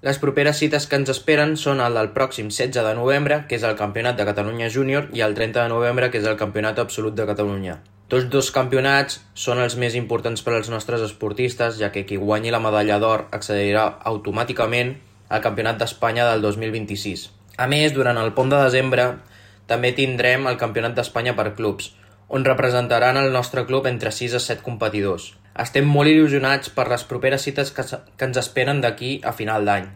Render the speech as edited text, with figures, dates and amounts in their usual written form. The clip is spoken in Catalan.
Les properes cites que ens esperen són el del pròxim 16 de novembre, que és el Campionat de Catalunya Júnior, i el 30 de novembre, que és el Campionat Absolut de Catalunya. Tots dos campionats són els més importants per als nostres esportistes, ja que qui guanyi la medalla d'or accedirà automàticament al Campionat d'Espanya del 2026. A més, durant el pont de desembre també tindrem el Campionat d'Espanya per clubs, on representaran el nostre club entre 6 a 7 competidors. Estem molt il·lusionats per les properes cites que ens esperen d'aquí a final d'any.